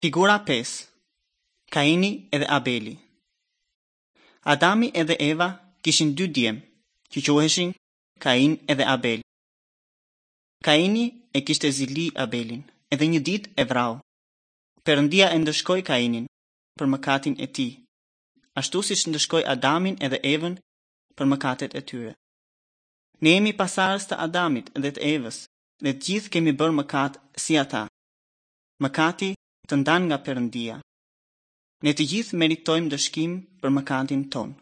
Figura 5. Kaini edhe Abeli. Adami edhe Eva kishin dy djem, që quheshin Kain edhe Abel. Kaini e kishte zili Abelin, edhe një ditë e vrau. Perëndia e ndëshkoi Kainin për mëkatin e tij, ashtu siç ndëshkoi Adamin edhe Evën për mëkatet e tyre. Ne jemi pasardhës të Adamit dhe të Evës dhe të gjithë kemi bërë mëkat si ata. Mëkati të ndan nga Perëndia. Ne të gjithë meritojmë ndëshkim për mëkatin tonë.